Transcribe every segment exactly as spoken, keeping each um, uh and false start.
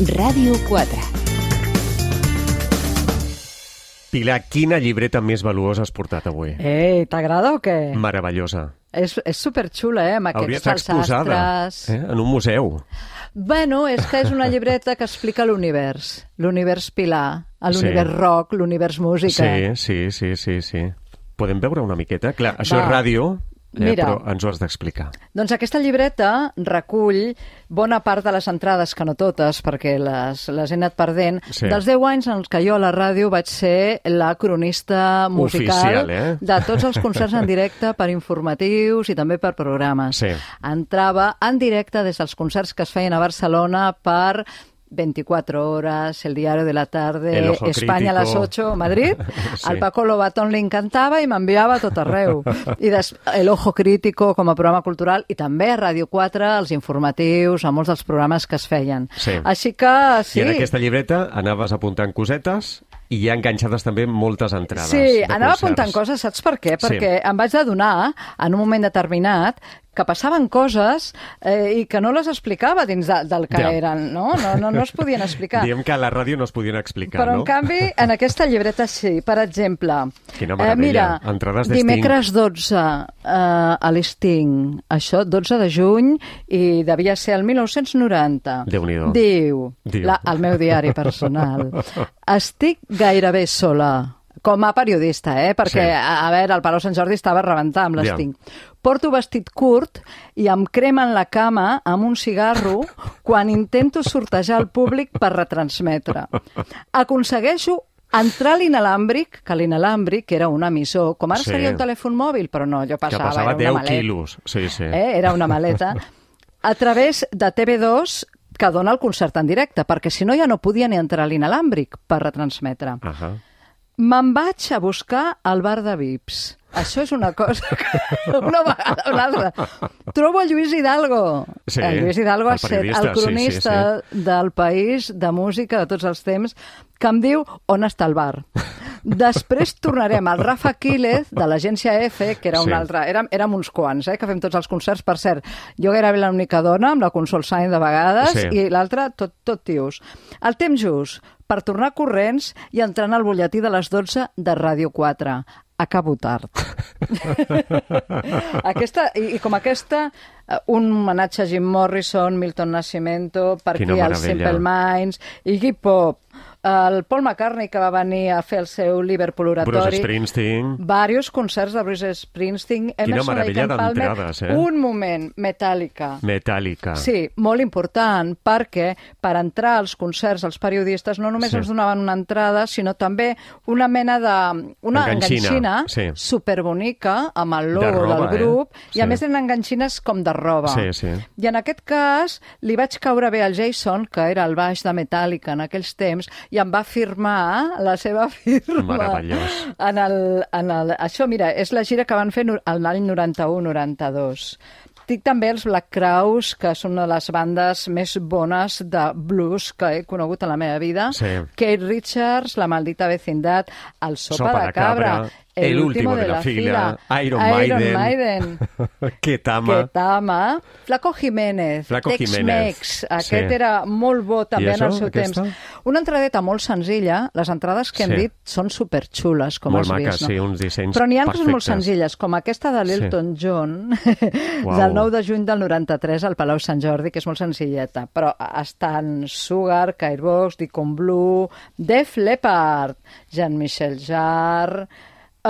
Ràdio quatre. Pilar, quina llibreta més valuosa has portat avui? Ei, t'agrada o què? Meravellosa. És, és superxula, eh, amb Hauria aquests d'estar exposada, alçastres. eh, en un museu. Bueno, és que és una llibreta que explica l'univers. L'univers Pilar, l'univers Sí. rock, l'univers música. Sí, sí, sí, sí, sí. Podem veure una miqueta? Clar, això Va. és ràdio, eh, Mira. però ens ho has d'explicar. Doncs aquesta llibreta recull bona part de les entrades, que no totes, perquè les, les he anat perdent, Sí. dels deu anys en els que jo a la ràdio vaig ser la cronista musical Oficial, eh? de tots els concerts en directe per informatius i també per programes. Sí. Entrava en directe des dels concerts que es feien a Barcelona per veinticuatro horas, El Diario de la Tarde, El Ojo España a las Crítico. ocho, Madrid. Sí. Al Paco Lobatón li encantava i m'enviava a tot arreu. I des, El Ojo Crítico com a programa cultural i també a Ràdio quatre, els informatius, a molts dels programes que es feien. Sí. Així que, sí. I en aquesta llibreta anaves apuntant cosetes i hi ha enganxades també moltes entrades Sí, de anava concerts. apuntant coses, saps per què? Sí. Perquè em vaig adonar, en un moment determinat, que passaven coses eh, i que no les explicava dins de, del que Ja. eren, no? No, no? no es podien explicar. Diem que a la ràdio no es podien explicar, Però, no? en canvi, en aquesta llibreta sí. Per exemple, Quina eh, meravella. mira, Entrades de dimecres dotze eh, a l'Sting, això, dotze de juny, i devia ser el mil nou-cents noranta. Déu-n'hi-do. Diu, Diu. La, el meu diari personal, estic gairebé sola, com a periodista, eh? Perquè, Sí. a, a veure, el Palau Sant Jordi estava a rebentar amb Ja. l'Sting. Porto vestit curt i em cremen la cama amb un cigarro quan intento sortejar el públic per retransmetre. Aconsegueixo entrar a l'inalàmbric, que l'inalàmbric era un emissor, com ara Sí. seria un telèfon mòbil, però no, allò Que passava, passava era deu una maleta. quilos. Sí, sí. Eh? Era una maleta. A través de T V dos, que dona el concert en directe, perquè si no ja no podia ni entrar a l'inalàmbric per retransmetre. Ahà. Me'n vaig a buscar al bar de V I Ps. Això és una cosa que una vegada o una altra. Trobo el Lluís Hidalgo. Sí, el Lluís Hidalgo el ha estat periodista, el cronista sí, sí, del País, de música, de tots els temps, que em diu on està el bar. Després tornarem al Rafa Quílez, de l'agència F, que era Sí. un altre... Érem, érem uns quants, eh, que fem tots els concerts. Per cert, jo gairebé l'única dona, amb la Consol Sainz de vegades, Sí. i l'altra tot, tot tios. El temps just per tornar corrents i entrant al butlletí de les dotze de Ràdio quatre. Acabo tard. aquesta, i, I com aquesta, eh, un homenatge a Jim Morrison, Milton Nascimento, per Quina aquí el meravella. Simple Minds, Iggy Pop, el Paul McCartney, que va venir a fer el seu Liverpool oratori. Bruce Springsteen. Varios concerts de Bruce Springsteen. Quina Emerson, meravella Lake and Palmer. d'entrades, eh? Un moment, Metallica. Metallica. Sí, molt important, perquè per entrar als concerts els periodistes no només Sí. ens donaven una entrada, sinó també una mena de... una Enganxina, enganxina sí. superbonica amb el logo De roba, del grup, eh? i a Sí. més eren enganxines com de roba. Sí, sí. I en aquest cas li vaig caure bé al Jason, que era el baix de Metallica en aquells temps, i em va firmar la seva firma. Meravellós. En el, en el, això, mira, és la gira que van fer l'any noranta-u noranta-dos. Dic també els Black Crowes, que són una de les bandes més bones de blues que he conegut en la meva vida. Sí. Kate Richards, La maldita vecindad, El sopa, Sopa de de cabra, cabra, El último de la fila, Iron Maiden. Maiden. Ketama. Ketama, Flaco Jiménez, Flaco Tex-Mex, Jiménez, aquest sí. era molt bo també I en el això, seu aquesta? temps. Una entradeta molt senzilla, les entrades que hem Sí. dit són superxules, com Molt has maques, vist, no? sí, uns dissenys Però n'hi ha coses molt perfectes. senzilles, com aquesta de l'Elton John, Uau. del nou de juny del noranta-tres al Palau Sant Jordi, que és molt senzilleta, però estan Sugar, Cairbox, Deacon Blue, Def Leppard, Jean-Michel Jarre... Uh,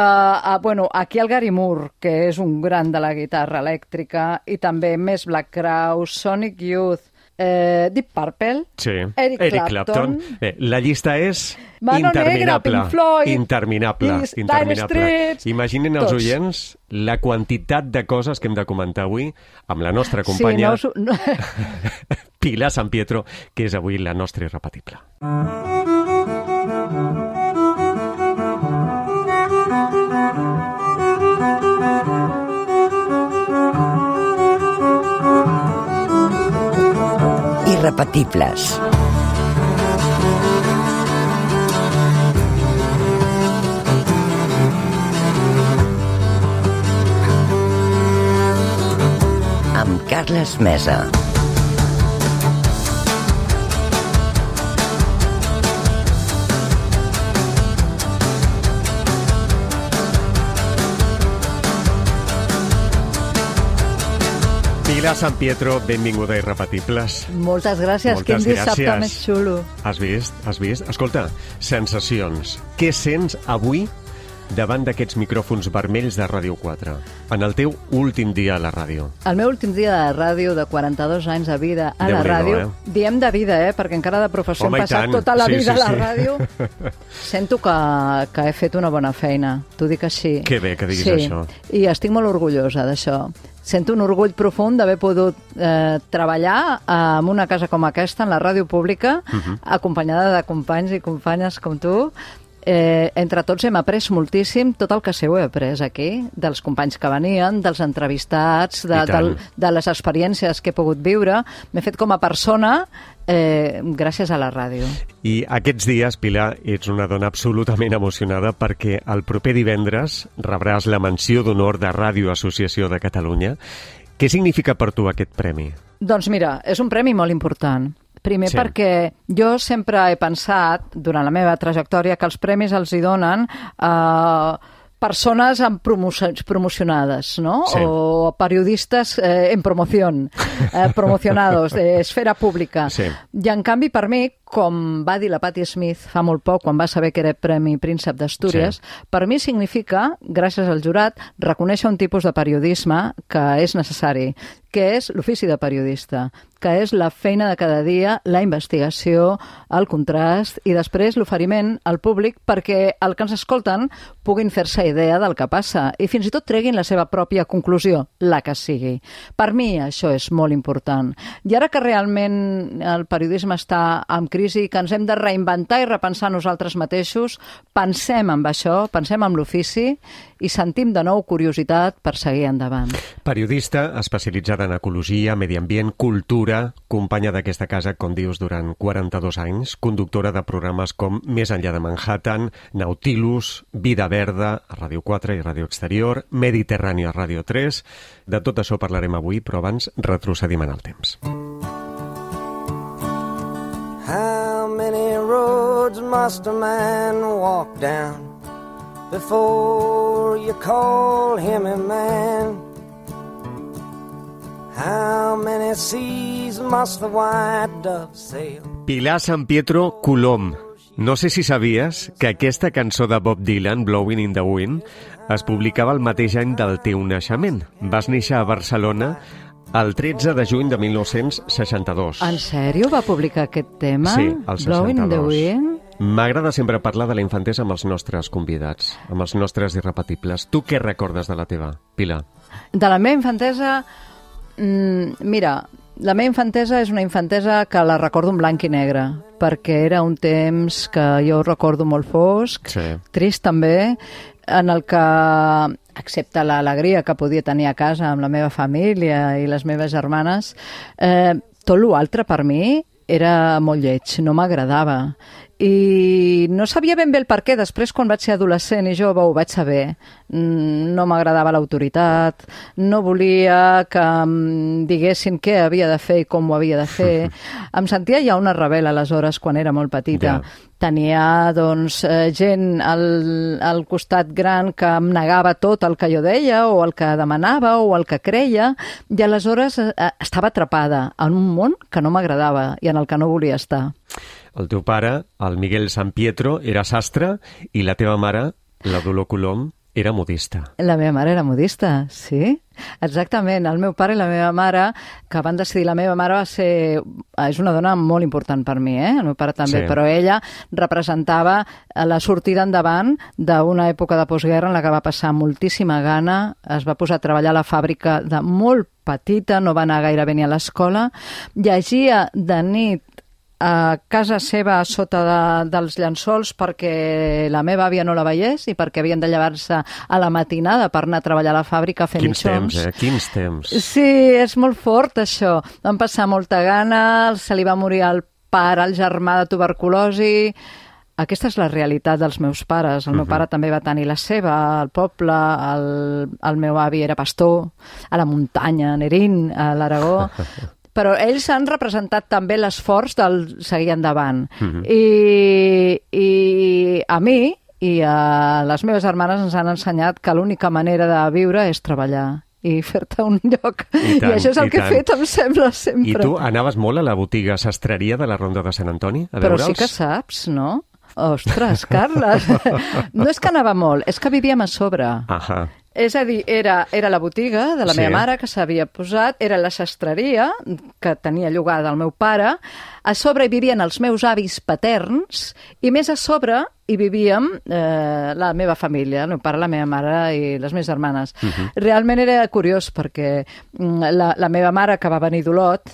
uh, bueno, aquí el Gary Moore, que és un gran de la guitarra elèctrica, i també més Black Crowes, Sonic Youth, eh, Deep Purple, Sí. Eric, Eric Clapton, Clapton. Bé, la llista és Mano Negra, interminable. Pink Floyd, interminable. i Dire interminable. Straits, Imaginin els tots. oients la quantitat de coses que hem de comentar avui amb la nostra Sí, companya no us... ho- no... Pilar San Pietro, que és avui la nostra irrepetible. Irrepetibles. Amb Carles Mesa. Pilar San Pietro, benvinguda a Irrepetibles. Moltes gràcies, Moltes quin dissabte gràcies. més xulo. Has vist? Has vist? Escolta, sensacions. Què sents avui davant d'aquests micròfons vermells de Ràdio quatre, en el teu últim dia a la ràdio? El meu últim dia de ràdio, de quaranta-dos anys de vida a la Déu-n'hi-do, ràdio, eh? diem de vida, eh? Perquè encara de professió Home, hem i passat tant. tota la Sí, vida sí, a la sí. ràdio. Sento que, que he fet una bona feina, t'ho dic així. Que bé que diguis sí. això. I estic molt orgullosa d'això. Sento un orgull profund d'haver pogut eh, treballar en una casa com aquesta, en la ràdio pública, Mhm. acompanyada de companys i companyes com tu. Eh, entre tots hem après moltíssim, tot el que sé ho he après aquí, dels companys que venien, dels entrevistats, de, I tant. del, de les experiències que he pogut viure. M'he fet com a persona eh, gràcies a la ràdio. I aquests dies, Pilar, ets una dona absolutament emocionada perquè el proper divendres rebràs la menció d'honor de Ràdio Associació de Catalunya. Què significa per tu aquest premi? Doncs mira, és un premi molt important. Primer Sí. perquè jo sempre he pensat, durant la meva trajectòria, que els premis els hi donen a persones amb promoci- promocionades, no? Sí. O periodistes eh, en promoció, eh, promocionados, de esfera pública. Sí. I en canvi, per mi, com va dir la Patti Smith fa molt poc, quan va saber que era Premi Príncep d'Astúries, Sí. per mi significa, gràcies al jurat, reconèixer un tipus de periodisme que és necessari, que és l'ofici de periodista, que és la feina de cada dia, la investigació, el contrast i després l'oferiment al públic perquè el que ens escolten puguin fer-se idea del que passa i fins i tot treguin la seva pròpia conclusió, la que sigui. Per mi això és molt important. I ara que realment el periodisme està en crisi, que ens hem de reinventar i repensar nosaltres mateixos, pensem en això, pensem en l'ofici i sentim de nou curiositat per seguir endavant. Periodista especialitzada en ecologia, medi ambient, cultura, companya d'aquesta casa, com dius, durant quaranta-dos anys, conductora de programes com Més enllà de Manhattan, Nautilus, Vida Verda, a Ràdio quatre i Ràdio Exterior, Mediterrani a Ràdio tres. De tot això parlarem avui, però abans retrocedim en el temps. How many roads must a man walk down before you call him a man? How many seas must the white dove sail? Pilar San Pietro Colom. No sé si sabies que aquesta cançó de Bob Dylan, Blowing in the Wind, es publicava el mateix any del teu naixement. Vas néixer a Barcelona el tretze de juny de mil nou-cents seixanta-dos. En sèrio va publicar aquest tema? Sí, el Blowing in the seixanta-dos. Wind? M'agrada sempre parlar de la infantesa amb els nostres convidats, amb els nostres irrepetibles. Tu què recordes de la teva, Pilar? De la meva infantesa, mm, mira, la meva infantesa és una infantesa que la recordo en blanc i negre, perquè era un temps que jo recordo molt fosc, Sí. trist també, en el que, excepte l'alegria que podia tenir a casa amb la meva família i les meves germanes, eh, tot l'altre per mi era molt lleig, no m'agradava. I no sabia ben bé el per què. Després, quan vaig ser adolescent i jove, ho vaig saber. Mm, No m'agradava l'autoritat, no volia que em diguessin què havia de fer i com ho havia de fer. Em sentia ja una rebel aleshores, quan era molt petita. Ja. Tenia, doncs, eh, gent al, al costat gran que em negava tot el que jo deia o el que demanava o el que creia, i aleshores eh, estava atrapada en un món que no m'agradava i en el que no volia estar. El teu pare, el Miguel San Pietro, era sastre i la teva mare, la Dolor Colom, era modista. La meva mare era modista, sí. Exactament. El meu pare i la meva mare, que van decidir... La meva mare va ser... És una dona molt important per mi, eh? El meu pare també, Sí. però ella representava la sortida endavant d'una època de postguerra en la que va passar moltíssima gana, es va posar a treballar a la fàbrica de molt petita, no va anar gairebé ni a l'escola, llegia de nit a casa seva a sota de, dels llençols perquè la meva àvia no la veiés i perquè havien de llevar-se a la matinada per anar a treballar a la fàbrica a fer Quins mitjons. temps, eh? Quins temps. Sí, és molt fort això. Van passar molta gana, se li va morir el pare, el germà de tuberculosi. Aquesta és la realitat dels meus pares. El meu pare també va tenir la seva, al poble, el, el meu avi era pastor, a la muntanya, a Nerín, a l'Aragó. Però ells han representat també l'esforç del seguir endavant. Mhm. I, I a mi i a les meves germanes ens han ensenyat que l'única manera de viure és treballar i fer-te un lloc. I, tant, I això és el i que tant. he fet, em sembla, sempre. I tu anaves molt a la botiga sastreria de la Ronda de Sant Antoni a Però veure'ls? sí que saps, no? Ostres, Carles, no és que anava molt, és que vivíem a sobre. Ahà. És a dir, era, era la botiga de la Sí. meva mare que s'havia posat, era la sastreria que tenia llogada el meu pare, a sobre hi vivien els meus avis paterns i més a sobre hi vivíem eh, la meva família, el meu pare, la meva mare i les meves germanes. Uh-huh. Realment era curiós perquè mm, la, la meva mare, que va venir d'Olot,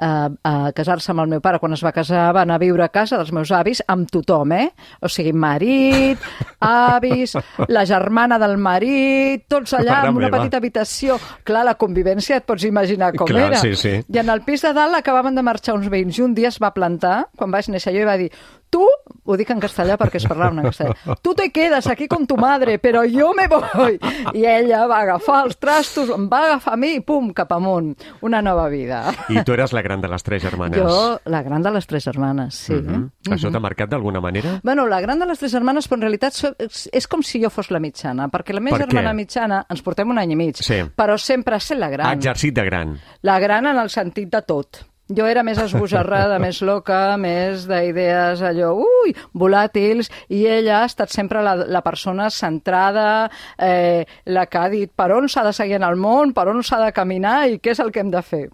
a, a casar-se amb el meu pare, quan es va casar va anar a viure a casa dels meus avis amb tothom, eh? O sigui, marit, avis, la germana del marit, tots allà Mare en una meva. petita habitació. Clar, la convivència et pots imaginar com Clar, era. sí, sí. I en el pis de dalt acabaven de marxar uns veïns i un dia es va plantar, quan vaig néixer jo, i va dir: tu, ho dic en castellà perquè es parlava en castellà, tu te quedes aquí con tu madre, però jo me voy. I ella va agafar els trastos, em va agafar a mi i pum, cap amunt. Una nova vida. I tu eres la gran de les tres germanes. Jo, la gran de les tres germanes, sí. Uh -huh. Això t'ha marcat d'alguna manera? Bueno, la gran de les tres germanes, però en realitat so- és, és com si jo fos la mitjana, perquè la meva Per què? germana mitjana ens portem un any i mig, Sí. però sempre ha estat la gran. Ha exercit de gran. La gran en el sentit de tot. Jo era més esbojarrada, més loca, més d'idees allò, ui, volàtils, i ella ha estat sempre la, la persona centrada, eh, la que ha dit per on s'ha de seguir en el món, per on s'ha de caminar i què és el que hem de fer.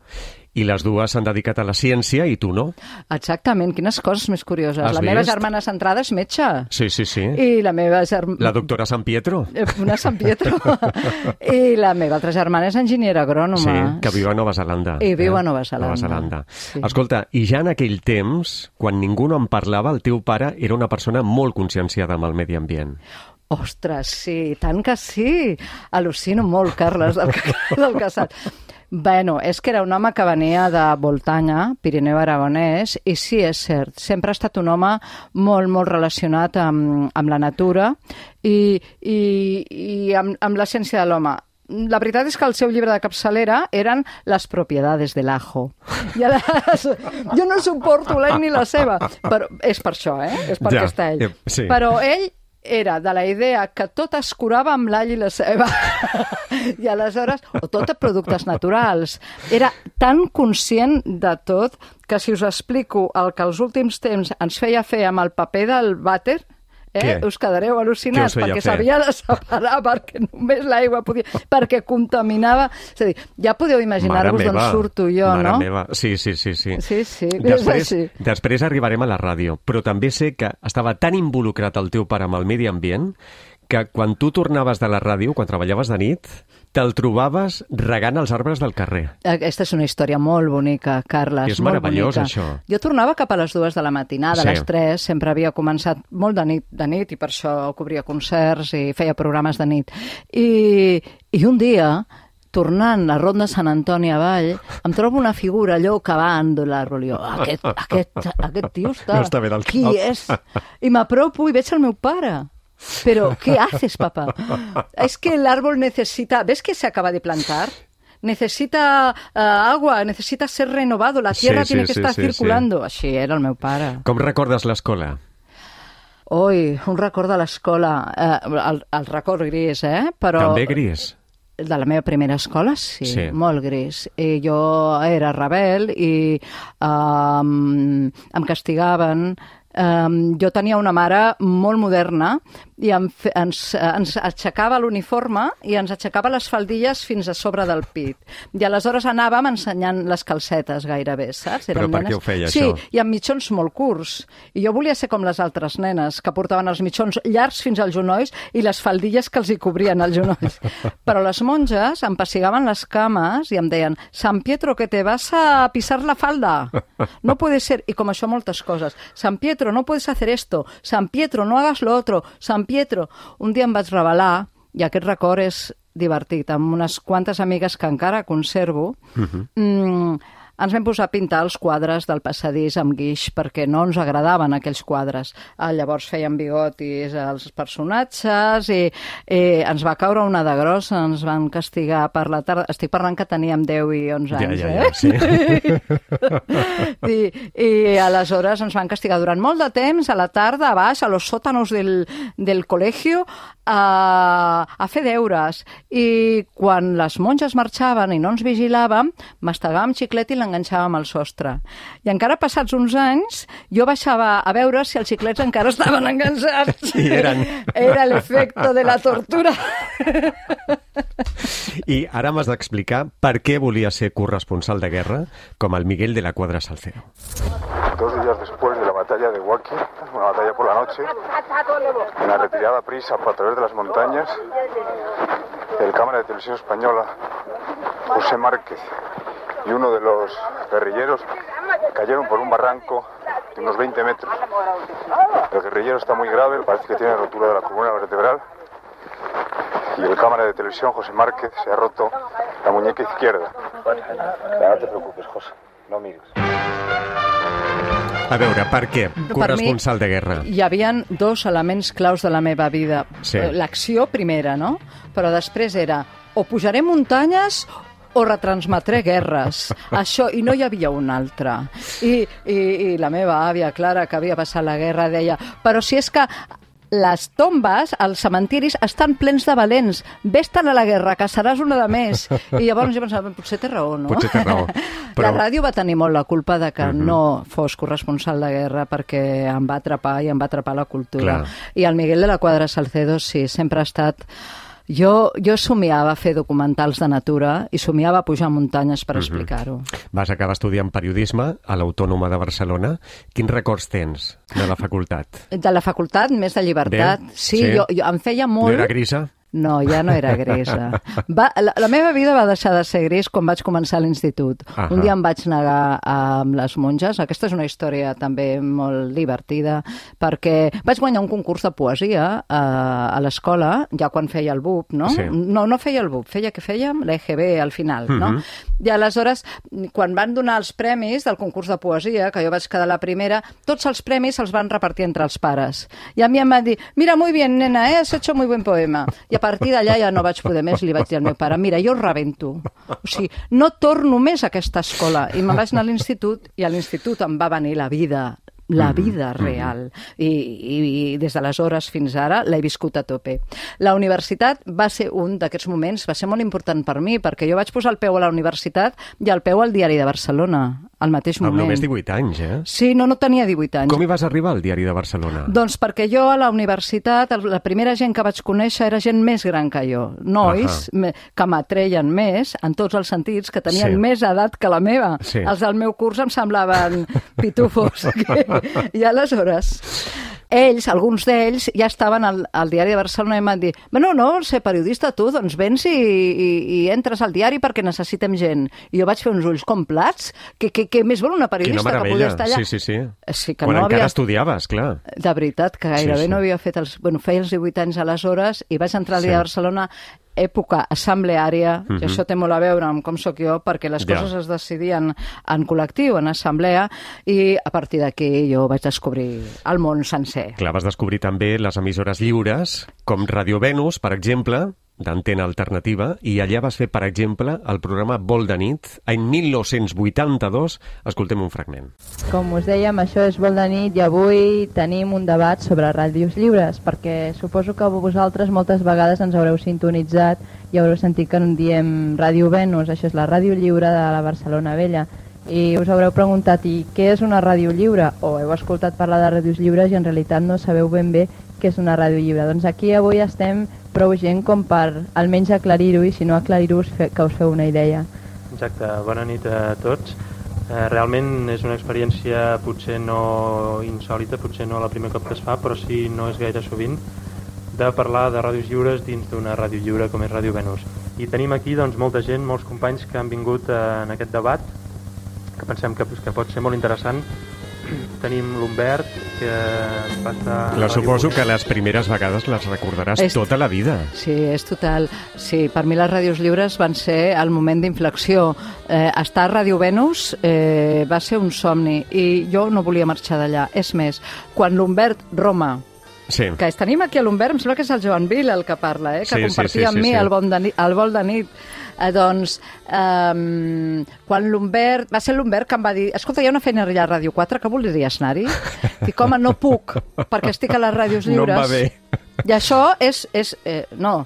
I les dues s'han dedicat a la ciència i tu no? Exactament, quines coses més curioses. Has La meva vist? germana centrada és metge. Sí, sí, sí. I la meva germana... La doctora San Pietro? Una Sant Pietro. I la meva altra germana és enginyera agrònoma. Sí, que viu a Nova Zelanda. I viu a Nova Zelanda. Nova Zelanda. Sí. Escolta, i ja en aquell temps, quan ningú no en parlava, el teu pare era una persona molt conscienciada amb el medi ambient. Ostres, sí, tant que sí. Al·lucino molt, Carles, del que, del que saps. Bueno, és que era un home que venia de Voltanya, Pirineu Aragonès, i sí, és cert, sempre ha estat un home molt, molt relacionat amb, amb la natura i, i, i amb, amb l'essència de l'home. La veritat és que el seu llibre de capçalera eren Les propiedades del ajo. I aleshores, jo no suporto l'ell ni la seva, però és per això, eh? És perquè Ja, està ell. eh, sí. Però ell era de la idea que tot es curava amb l'all i la ceba. I aleshores, o tot de productes naturals. Era tan conscient de tot que si us explico el que als últims temps ens feia fer amb el paper del vàter, eh, Què? us quedareu al·lucinats, Què us feia perquè fer? s'havia de separar, perquè només l'aigua podia... perquè contaminava... És a dir, ja podeu imaginar-vos d'on surto jo, mare no? meva. Sí, sí, sí, sí. Sí, sí, és Després, així. després arribarem a la ràdio, però també sé que estava tan involucrat el teu pare amb el medi ambient que quan tu tornaves de la ràdio, quan treballaves de nit, te'l trobaves regant els arbres del carrer. Aquesta és una història molt bonica, Carles. És molt meravellós, bonica. això. Jo tornava cap a les dues de la matinada, Sí. a les tres, sempre havia començat molt de nit, de nit, i per això cobria concerts i feia programes de nit. I, i un dia, tornant la ronda de Sant Antoni avall, em trobo una figura allò cavant de l'àrbol. Jo, aquest, aquest, aquest tio està... No està bé del Qui cap. és? I m'apropo i veig el meu pare. Pero, ¿qué haces, papá? Es que el árbol necesita... ¿Ves que se acaba de plantar? Necesita uh, agua, necesita ser renovado, la tierra Sí, tiene sí, que sí, estar sí, circulando. Així era el meu pare. Com recordes l'escola? Ui, un record de l'escola, eh, el, el record gris, eh? Però També gris? de la meva primera escola, sí, Sí. molt gris. I jo era rebel i um, em castigaven. Um, jo tenia una mare molt moderna i em fe, ens, ens aixecava l'uniforme i ens aixecava les faldilles fins a sobre del pit. I aleshores anàvem ensenyant les calcetes gairebé, saps? Però per nenes... què ho feia, sí, això? Sí, i amb mitjons molt curts. I jo volia ser com les altres nenes, que portaven els mitjons llargs fins als genolls i les faldilles que els hi cobrien els genolls. Però les monges em pessigaven les cames i em deien: San Pietro, que te vas a pisar la falda. No puede ser. I com això moltes coses. San Pietro, no puedes hacer esto. San Pietro, no hagas lo otro. San Pietro. Un dia em vaig revelar, i aquest record és divertit, amb unes quantes amigues que encara conservo. Uh-huh. mm, ens vam posar a pintar els quadres del passadís amb guix perquè no ens agradaven aquells quadres. Ah, llavors feien bigotis als personatges i, i ens va caure una de grossa, ens van castigar per la tarda. Estic parlant que teníem deu i onze anys, ja, ja, eh? Sí. I, I aleshores ens van castigar durant molt de temps, a la tarda, a baix, a los sótanos del, del col·legio, a, a fer deures. I quan les monges marxaven i no ens vigilàvem, mastegàvem xiclet i l'enganxàvem al sostre. I encara passats uns anys, jo baixava a veure si els xiclets encara estaven enganxats. I eren. Era l'efecte de la tortura. I ara m'has d'explicar per què volia ser corresponsal de guerra com el Miguel de la Cuadra Salcedo. Dos días después de la batalla de Huaqui, una batalla por la noche, en la retirada prisa a través de las montañas, el cámara de televisión española, José Márquez, y uno de los guerrilleros cayeron por un barranco de unos veinte metros. El guerrillero está muy grave, parece que tiene rotura de la columna vertebral, y el cámara de televisión, José Márquez, se ha roto la muñeca izquierda. No te preocupes, José, no mires. A veure, per què? Corresponsal de guerra. Hi havia dos elements claus de la meva vida. Sí. L'acció primera, no? Però després era o pujaré muntanyes o retransmetré guerres. Això, i no hi havia un altre. I, i, i la meva àvia, Clara, que havia passat la guerra, deia, però si és que les tombes, els cementiris, estan plens de valents. Vés-te'n a la guerra, que seràs una de més. I llavors jo pensava, potser té raó, no? Potser té raó. Però... La ràdio va tenir molt la culpa de que uh -huh. no fos corresponsal de guerra perquè em va atrapar i em va atrapar la cultura. Clar. I el Miguel de la Cuadra Salcedo, sí, sempre ha estat... Jo, jo somiava fer documentals de natura i somiava pujar muntanyes per uh -huh. explicar-ho. Vas acabar estudiant periodisme a l'Autònoma de Barcelona. Quins records tens de la facultat? De la facultat, més de llibertat. Bé, sí, sí. Jo, jo em feia molt... No era grisa? No, ja no era grisa. Va, la, la meva vida va deixar de ser gris quan vaig començar l'institut. Uh-huh. Un dia em vaig negar amb les monges. Aquesta és una història també molt divertida, perquè vaig guanyar un concurs de poesia a, a l'escola, ja quan feia el B U P, no? Sí. No, no feia el B U P, feia que fèiem l'E G B al final, uh-huh. no? I aleshores, quan van donar els premis del concurs de poesia, que jo vaig quedar la primera, tots els premis els van repartir entre els pares. I a mi em van dir, mira, muy bien, nena, eh? Has hecho muy buen poema. I a partir d'allà ja no vaig poder més, li vaig dir al meu pare, mira, jo rebento. O sigui, no torno més a aquesta escola. I me'n vaig anar a l'institut, i a l'institut em va venir la vida, la vida real. I, i, i des d'aleshores fins ara l'he viscut a tope. La universitat va ser un d'aquests moments, va ser molt important per mi, perquè jo vaig posar el peu a la universitat i el peu al Diari de Barcelona, al mateix moment. Amb només divuit anys, eh? Sí, no, no tenia divuit anys. Com hi vas arribar al Diari de Barcelona? Doncs perquè jo a la universitat, la primera gent que vaig conèixer era gent més gran que jo. Nois uh-huh. que m'atreien més, en tots els sentits, que tenien sí. més edat que la meva. Sí. Els del meu curs em semblaven pitufos. I aleshores... ells, alguns d'ells, ja estaven al, al Diari de Barcelona i em van dir, no, no, vols ser periodista tu, doncs vens i, i, i entres al diari perquè necessitem gent. I jo vaig fer uns ulls com plats, que, que, que més vol una periodista que podia estar allà. Sí, sí, sí. sí que Quan no encara havia... estudiaves, clar. De veritat, que gairebé sí, sí. no havia fet els... Bueno, feia els divuit anys aleshores i vaig entrar al Diari sí. de Barcelona època assembleària, uh-huh. i això té molt a veure amb com sóc jo, perquè les ja. coses es decidien en col·lectiu, en assemblea, i a partir d'aquí jo vaig descobrir el món sencer. Clar, vas descobrir també les emissores lliures, com Ràdio Venus, per exemple, d'antena alternativa, i allà vas fer, per exemple, el programa Vol de nit, any mil nou-cents vuitanta-dos. Escoltem un fragment. Com us dèiem, això és Vol de nit i avui tenim un debat sobre ràdios lliures, perquè suposo que vosaltres moltes vegades ens haureu sintonitzat i haureu sentit que en diem Ràdio Venus, això és la ràdio lliure de la Barcelona Vella, i us haureu preguntat, i què és una ràdio lliure? O heu escoltat parlar de ràdios lliures i en realitat no sabeu ben bé què és una ràdio lliure. Doncs aquí avui estem prou gent com per almenys aclarir-ho, i si no aclarir-ho que us feu una idea. Exacte, bona nit a tots. Eh, realment és una experiència potser no insòlita, potser no la primer cop que es fa, però sí no és gaire sovint, de parlar de ràdios lliures dins d'una ràdio lliure com és Ràdio Venus. I tenim aquí doncs, molta gent, molts companys que han vingut eh, en aquest debat, que pensem que, que pot ser molt interessant tenim l'Humbert, que va estar... La suposo que les primeres vegades les recordaràs És... tota la vida. Sí, és total. Sí, per mi les ràdios lliures van ser el moment d'inflexió. Eh, estar a Ràdio Venus eh, va ser un somni i jo no volia marxar d'allà. És més, quan l'Humbert Roma, Sí. que tenim aquí a l'Humbert, em sembla que és el Joan Vila el que parla, eh, que Sí, sí, compartia sí, amb sí, mi sí. el, bon de nit, el vol de nit. Eh, doncs, um, quan l'Humbert... Va ser l'Humbert que em va dir escolta, hi ha una feina allà a Ràdio quatre, que voldries anar-hi? Dic, home, no puc, perquè estic a les ràdios lliures. No em va bé. I això és... és eh, no,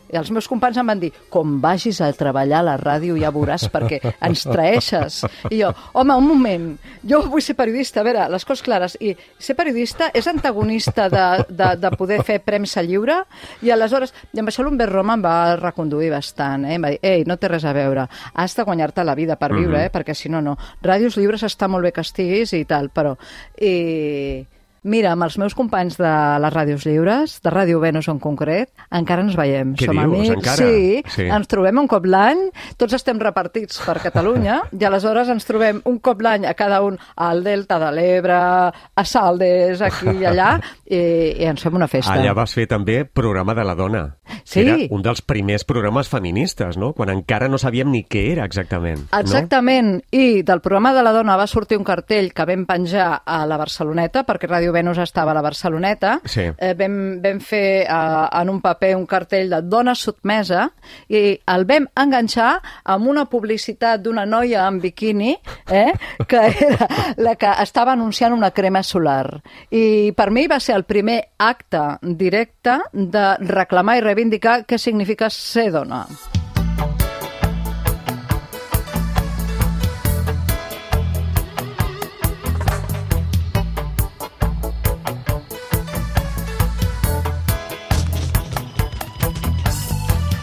i els meus companys em van dir, com vagis a treballar a la ràdio ja veuràs perquè ens traeixes. I jo, home, un moment, jo vull ser periodista, a veure, les coses clares, i ser periodista és antagonista de, de, de poder fer premsa lliure, i aleshores, i amb això l'Humbert Roma em va reconduir bastant, eh? Em va dir, ei, no té res a veure, has de guanyar-te la vida per viure, eh? Perquè si no, no. Ràdios lliures està molt bé que estiguis i tal, però... I... Mira, amb els meus companys de les ràdios lliures, de Ràdio Venus en concret, encara ens veiem. Què Som dius, amics, encara? sí, Sí. ens trobem un cop l'any, tots estem repartits per Catalunya, i aleshores ens trobem un cop l'any a cada un al Delta de l'Ebre, a Saldes, aquí i allà, i, i ens fem una festa. Allà vas fer també Programa de la Dona. Sí. Era un dels primers programes feministes, no? Quan encara no sabíem ni què era exactament. Exactament, no? I del programa de la dona va sortir un cartell que vam penjar a la Barceloneta, perquè Ràdio Venus estava a la Barceloneta. Sí. Eh, vam, vam fer eh, en un paper un cartell de dona sotmesa i el vam enganxar amb una publicitat d'una noia en biquini, eh, que era la que estava anunciant una crema solar. I per mi va ser el primer acte directe de reclamar i reivindicar què significa ser dona.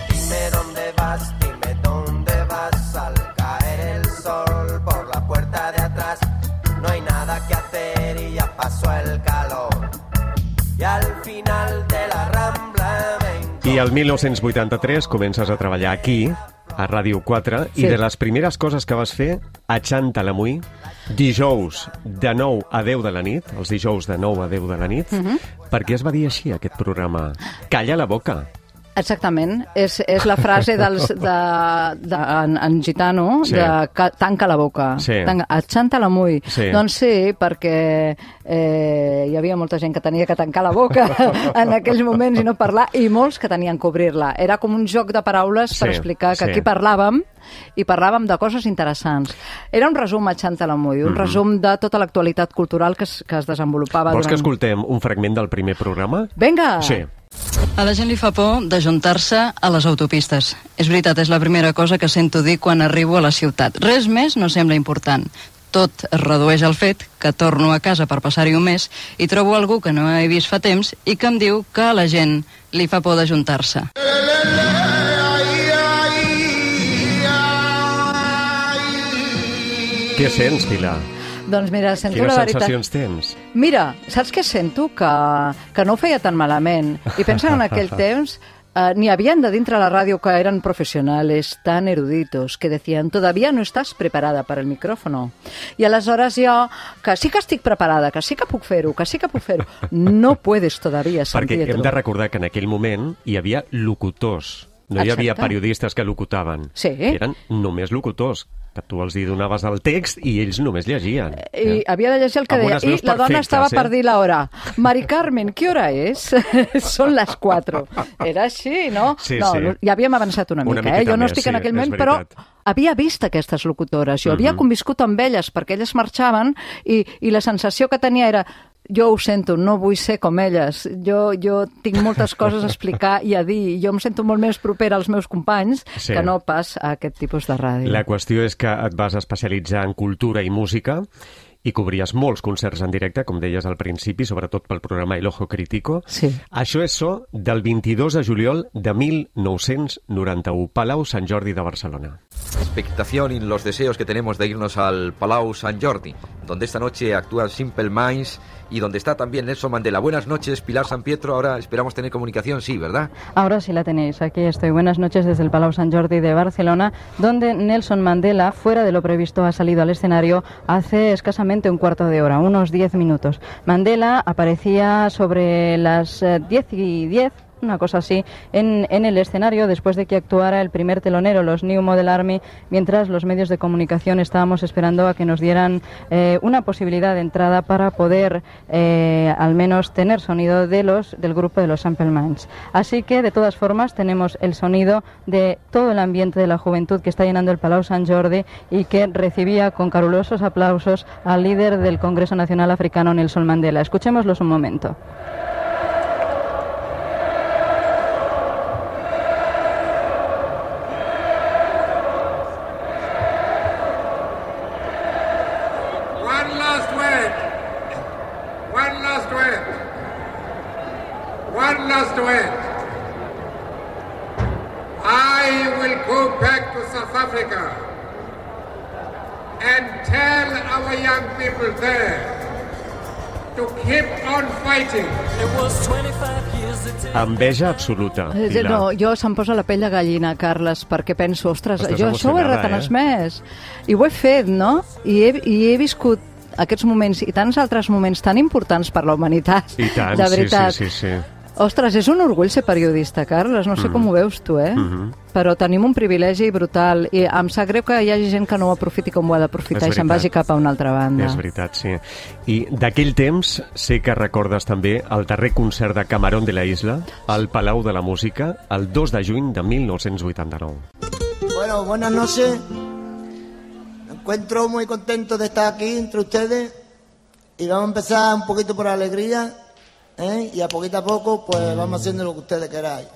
Dime dónde vas, dime dónde vas al caer el sol por la puerta de atrás. No hay nada que hacer y ya pasó el calor. Y al final de la Rambla me I el mil nou-cents vuitanta-tres comences a treballar aquí, a Ràdio quatre, Sí. i de les primeres coses que vas fer, a Xantalamuy, dijous de nou a deu de la nit, els dijous de nou a deu de la nit, Mhm. per què es va dir així, aquest programa? Calla la boca. Exactament, és, és la frase dels, de, de, en, en gitano, Sí. de ca, tanca la boca, Sí. tanca, achanta-la-muy. Sí. Doncs sí, perquè eh, hi havia molta gent que tenia que tancar la boca en aquells moments i no parlar, i molts que tenien que obrir-la. Era com un joc de paraules per Sí, explicar que sí. aquí parlàvem, i parlàvem de coses interessants. Era un resum a Xantalamuy, un Mhm. resum de tota l'actualitat cultural que es, que es desenvolupava Vols durant... que escoltem un fragment del primer programa? Vinga! Sí. A la gent li fa por d'ajuntar-se a les autopistes. És veritat, és la primera cosa que sento dir quan arribo a la ciutat. Res més no sembla important. Tot es redueix al fet que torno a casa per passar-hi un mes i trobo algú que no he vist fa temps i que em diu que a la gent li fa por d'ajuntar-se. Què sents, Pilar? Doncs mira, sento Quines la veritat... sensacions tens? Mira, saps què sento? Que, que no ho feia tan malament. I pensa que en aquell temps eh, n'hi havien de dintre la ràdio que eren professionals tan eruditos que decían, todavía no estás preparada para el micrófono. I aleshores jo, que sí que estic preparada, que sí que puc fer-ho, que sí que puc fer-ho, no puedes todavía, San Perquè Pietro. hem de recordar que en aquell moment hi havia locutors. No hi Exacte. havia periodistes que locutaven. Sí. Eren només locutors, que tu els hi donaves el text i ells només llegien. I havia de llegir el que Amb deia. unes I veus la dona perfectes, estava eh? per dir l'hora. Mari Carmen, ¿qué hora es? Són les quatre. Era així, no? Sí, no, sí. Ja havíem avançat una, Una mica, eh? miqueta Jo no més, estic sí, en aquell és moment, però veritat. havia vist aquestes locutores. Jo havia Mhm. conviscut amb elles, perquè elles marxaven, i, i la sensació que tenia era jo ho sento, no vull ser com elles. Jo, jo tinc moltes coses a explicar i a dir. Jo em sento molt més propera als meus companys Sí. que no pas a aquest tipus de ràdio. La qüestió és que et vas especialitzar en cultura i música i cobries molts concerts en directe, com deies al principi, sobretot pel programa El Ojo Crítico. Sí. Això és so del vint-i-dos de juliol de mil nou-cents noranta-u, Palau Sant Jordi de Barcelona. expectación y los deseos que tenemos de irnos al Palau Sant Jordi, donde esta noche actúan Simple Minds y donde está también Nelson Mandela. Buenas noches, Pilar San Pietro. Ahora esperamos tener comunicación, sí, ¿verdad? Ahora sí la tenéis. Aquí estoy. Buenas noches desde el Palau Sant Jordi de Barcelona, donde Nelson Mandela, fuera de lo previsto, ha salido al escenario hace escasamente un cuarto de hora, unos diez minutos. Mandela aparecía sobre las diez y diez, una cosa así, en, en el escenario después de que actuara el primer telonero, los New Model Army, mientras los medios de comunicación estábamos esperando a que nos dieran eh, una posibilidad de entrada para poder eh, al menos tener sonido de los del grupo de los Simple Minds. Así que, de todas formas, tenemos el sonido de todo el ambiente de la juventud que está llenando el Palau Sant Jordi y que recibía con calurosos aplausos al líder del Congreso Nacional Africano, Nelson Mandela. Escuchémoslos un momento. Enveja absoluta, Pilar. No, jo se'm posa la pell de gallina, Carles, perquè penso, ostres, Estàs jo això ho he retransmès, eh? I ho he fet, no? I he, i he viscut aquests moments i tants altres moments tan importants per la humanitat. I tant, de veritat. sí, sí, sí, sí. Ostres, és un orgull ser periodista, Carles, no sé mm. com ho veus tu, eh? Mm -hmm. Però tenim un privilegi brutal i em sap greu que hi hagi gent que no ho aprofiti com ho ha d'aprofitar i se'n vagi cap a una altra banda. És veritat, sí. I d'aquell temps sé que recordes també el darrer concert de Camarón de la Isla al Palau de la Música el dos de juny de mil nou-cents vuitanta-nou. Bueno, buenas noches. Me encuentro muy contento de estar aquí entre ustedes y vamos a empezar un poquito por alegría. ¿Eh? Y a poquito a poco pues vamos haciendo lo que ustedes queráis.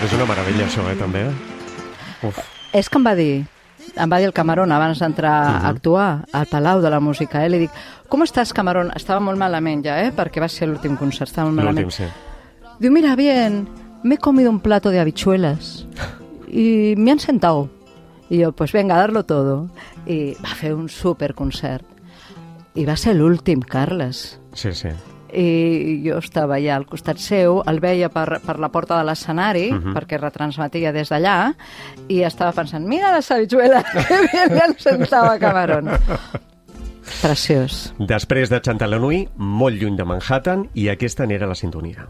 És una meravella això, eh, també. Uf. És que em va dir, em va dir el Camarón abans d'entrar uh-huh. a actuar al Palau de la Música, eh? Li dic, com estàs, Camarón? Estava molt malament ja, eh? Perquè va ser l'últim concert, estava molt malament. L'últim, sí. Diu, mira, bien, me he comido un plato de habichuelas y me han sentado. I jo, pues venga, a darlo todo. I va fer un superconcert. I va ser l'últim, Carles. Sí, sí. I jo estava allà al costat seu, el veia per, per la porta de l'escenari, uh-huh. perquè retransmetia des d'allà, i estava pensant, mira la habichuela, que bien li sentava Camarón. Preciós. Després de Chantalanui, molt lluny de Manhattan, i aquesta n'era la sintonia.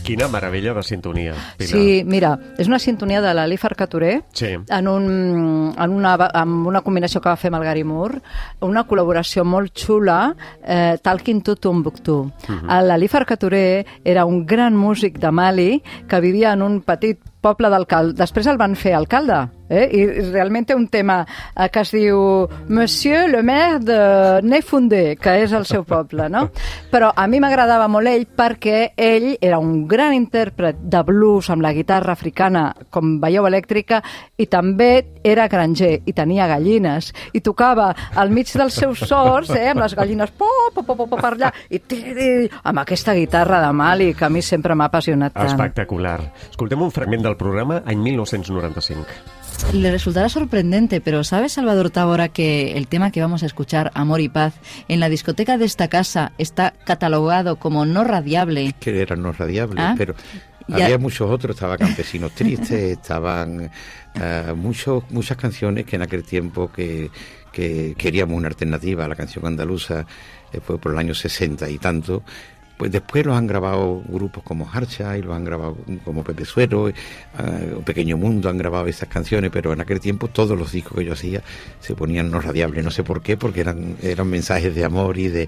Quina meravella de sintonia, Pilar. Sí, mira, és una sintonia de l'Ali Farcaturé, sí. en, un, en, una, en una combinació que va fer amb el Gary Moore, una col·laboració molt xula, eh, Talking to Tombouctou. Uh-huh. L'Ali Farcaturé era un gran músic de Mali que vivia en un petit poble d'alcalde. Després el van fer alcalde, eh? I realment té un tema eh, que es diu Monsieur le maire de Nefundé, que és el seu poble, no? Però a mi m'agradava molt ell perquè ell era un gran intèrpret de blues amb la guitarra africana com veieu elèctrica i també era granger i tenia gallines i tocava al mig dels seus sorts, eh, amb les gallines po, po, po, po, po, per allà i tiri, amb aquesta guitarra de Mali que a mi sempre m'ha apassionat tant. Espectacular. Escoltem un fragment del programa any mil nou-cents noranta-cinc. Le resultará sorprendente, pero ¿sabes, Salvador Tábora, que el tema que vamos a escuchar, Amor y Paz, en la discoteca de esta casa está catalogado como no radiable? Que era no radiable, ¿Ah? pero ya... había muchos otros, estaba Campesinos Tristes, estaban uh, muchos, muchas canciones que en aquel tiempo que, que queríamos una alternativa a la canción andaluza, eh, fue por el año sesenta y tanto. Pues después los han grabado grupos como Harcha y los han grabado como Pepe Suero, uh, Pequeño Mundo, han grabado esas canciones, pero en aquel tiempo todos los discos que yo hacía se ponían no radiables, no sé por qué, porque eran eran mensajes de amor y de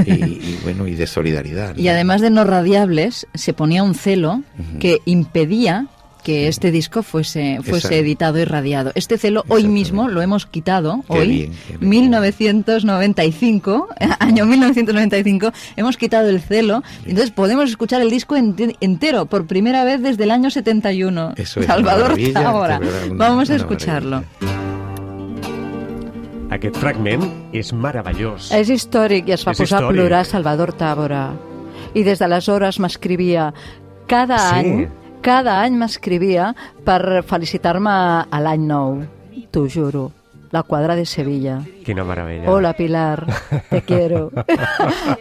y, y bueno y de solidaridad, ¿no? Y además de no radiables se ponía un celo uh-huh. que impedía que este disco fuese, fuese Exacto. editado y radiado. Este celo hoy mismo lo hemos quitado, Qué hoy, bien, qué bien. mil novecientos noventa y cinco, año mil novecientos noventa y cinco, hemos quitado el celo, entonces podemos escuchar el disco ente- entero, por primera vez desde el año setenta y uno. Eso es Salvador una maravilla, Tábora. de verdad, una- Vamos a una escucharlo. Aquest fragment és meravellós. És històric i es va És posar a històric. plorar Salvador Tábora. I des d'aleshores m'escrivia cada Sí. any, cada any m'escrivia per felicitar-me a l'any nou. T'ho juro. La quadra de Sevilla. Quina meravella. Hola, Pilar, te quiero.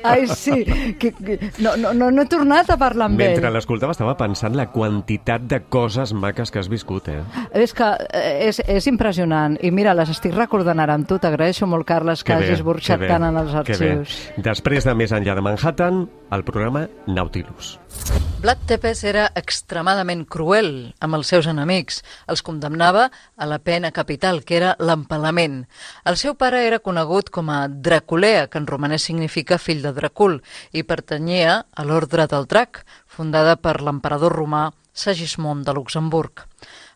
Ai, sí, que, que, no, no, no, no he tornat a parlar amb Mentre ell. l'escoltava estava pensant la quantitat de coses maques que has viscut, eh? És que eh, és, és impressionant. I mira, les estic recordant ara amb tu. T'agraeixo molt, Carles, que, Que bé, hagis burxat que bé, tant en els que bé. arxius. Després de Més enllà de Manhattan, el programa Nautilus. Vlad Tepes era extremadament cruel amb els seus enemics. Els condemnava a la pena capital, que era l'empalament. El seu pare era conegut com a Draculea, que en romanès significa fill de Dracul, i pertanyia a l'Ordre del Drac, fundada per l'emperador romà Segismund de Luxemburg.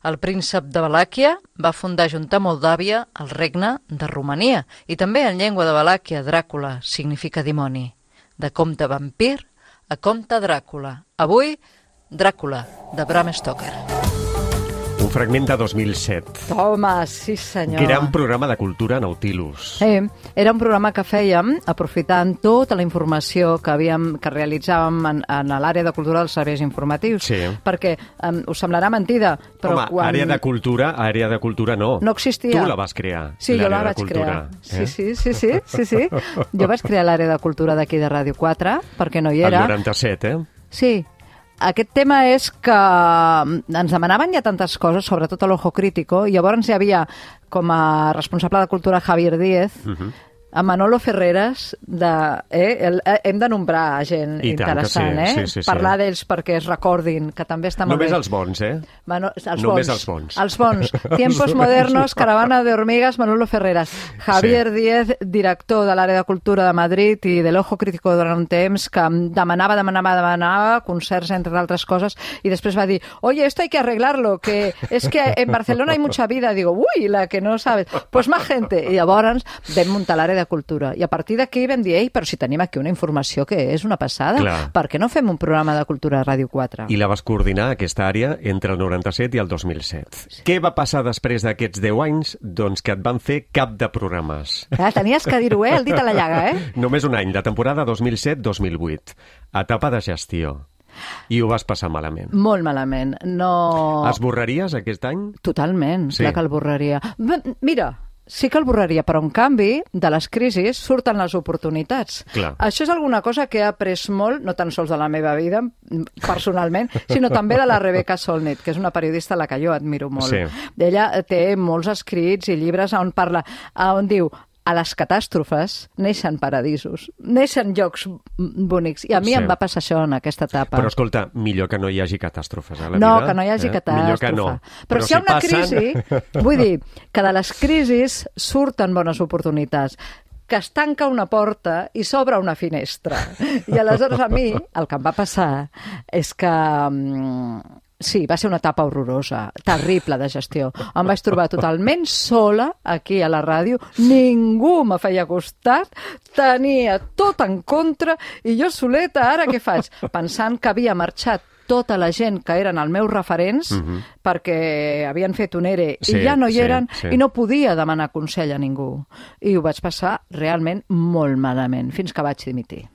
El príncep de Valàquia va fundar junt a Moldàvia el regne de Romania, i també en llengua de Valàquia, Dràcula significa dimoni. De comte vampir a comte Dràcula. Avui, Dràcula, de Bram Stoker. Un fragment de dos mil set. Home, sí senyor. Gran programa de cultura Nautilus. Sí, era un programa que fèiem aprofitant tota la informació que havíem que realitzàvem en, en l'àrea de cultura dels serveis informatius. Sí. Perquè um, us semblarà mentida, però Home, quan... àrea de cultura, àrea de cultura no. No existia. Tu la vas crear, Sí, jo la l'àrea de vaig cultura, crear. eh? Sí, sí, sí, sí, sí, sí. Jo vaig crear l'àrea de cultura d'aquí de Ràdio quatre, perquè no hi El era. noranta-set, eh? Sí. Aquest tema és que ens demanaven ja tantes coses, sobretot a l'Ojo Crítico, i llavors hi havia com a responsable de cultura Javier Díez, Uh-huh. a Manolo Ferreres, de, eh, el, eh, hem de nombrar gent I tant que interessant, sí, eh? sí, sí, sí. Parlar d'ells perquè es recordin, que també està molt Només bé. els bons, eh? Mano, els Només bons, els bons. Els bons. Tiempos modernos, Caravana de hormigas, Manolo Ferreras. Javier sí. Díez, director de l'àrea de cultura de Madrid i de l'Ojo Crítico durant un temps, que demanava, demanava, demanava concerts, entre altres coses, i després va dir, oye, esto hay que arreglarlo, que es que en Barcelona hay mucha vida. Digo, uy, la que no sabes. Pues más gente. I llavors vam muntar l'àrea de cultura. I a partir d'aquí vam dir, ei, però si tenim aquí una informació que és una passada, Clar. per què no fem un programa de cultura a Ràdio quatre? I la vas coordinar, aquesta àrea, entre el noranta-set i el dos mil set. Sí. Què va passar després d'aquests deu anys? Doncs que et van fer cap de programes. Ah, tenies que dir-ho, eh? El dit a la llaga, eh? Només un any, la temporada dos mil set dos mil vuit. Etapa de gestió. I ho vas passar malament. Molt malament. No... Esborraries aquest any? Totalment, Sí. sí. Clar que el borraria. B Mira, sí que el borraria, però en canvi, de les crisis surten les oportunitats. Clar. Això és alguna cosa que he après molt, no tan sols de la meva vida, personalment, sinó també de la Rebecca Solnit, que és una periodista a la que jo admiro molt. Sí. Ella té molts escrits i llibres on parla, on diu, a les catàstrofes neixen paradisos, neixen llocs bonics. I a mi Sí. em va passar això en aquesta etapa. Però escolta, millor que no hi hagi catàstrofes a la No, vida. que no hi hagi eh? catàstrofe. Millor que no. Però, Però si hi ha una passen... crisi, vull dir, que de les crisis surten bones oportunitats, que es tanca una porta i s'obre una finestra. I aleshores a mi el que em va passar és que... mm, sí, va ser una etapa horrorosa, terrible de gestió. Em vaig trobar totalment sola aquí a la ràdio, ningú me feia costat, tenia tot en contra i jo soleta, ara què faig? Pensant que havia marxat tota la gent que eren els meus referents, Mhm. perquè havien fet un E R E Sí, i ja no hi sí, eren, sí. i no podia demanar consell a ningú. I ho vaig passar realment molt malament, fins que vaig dimitir.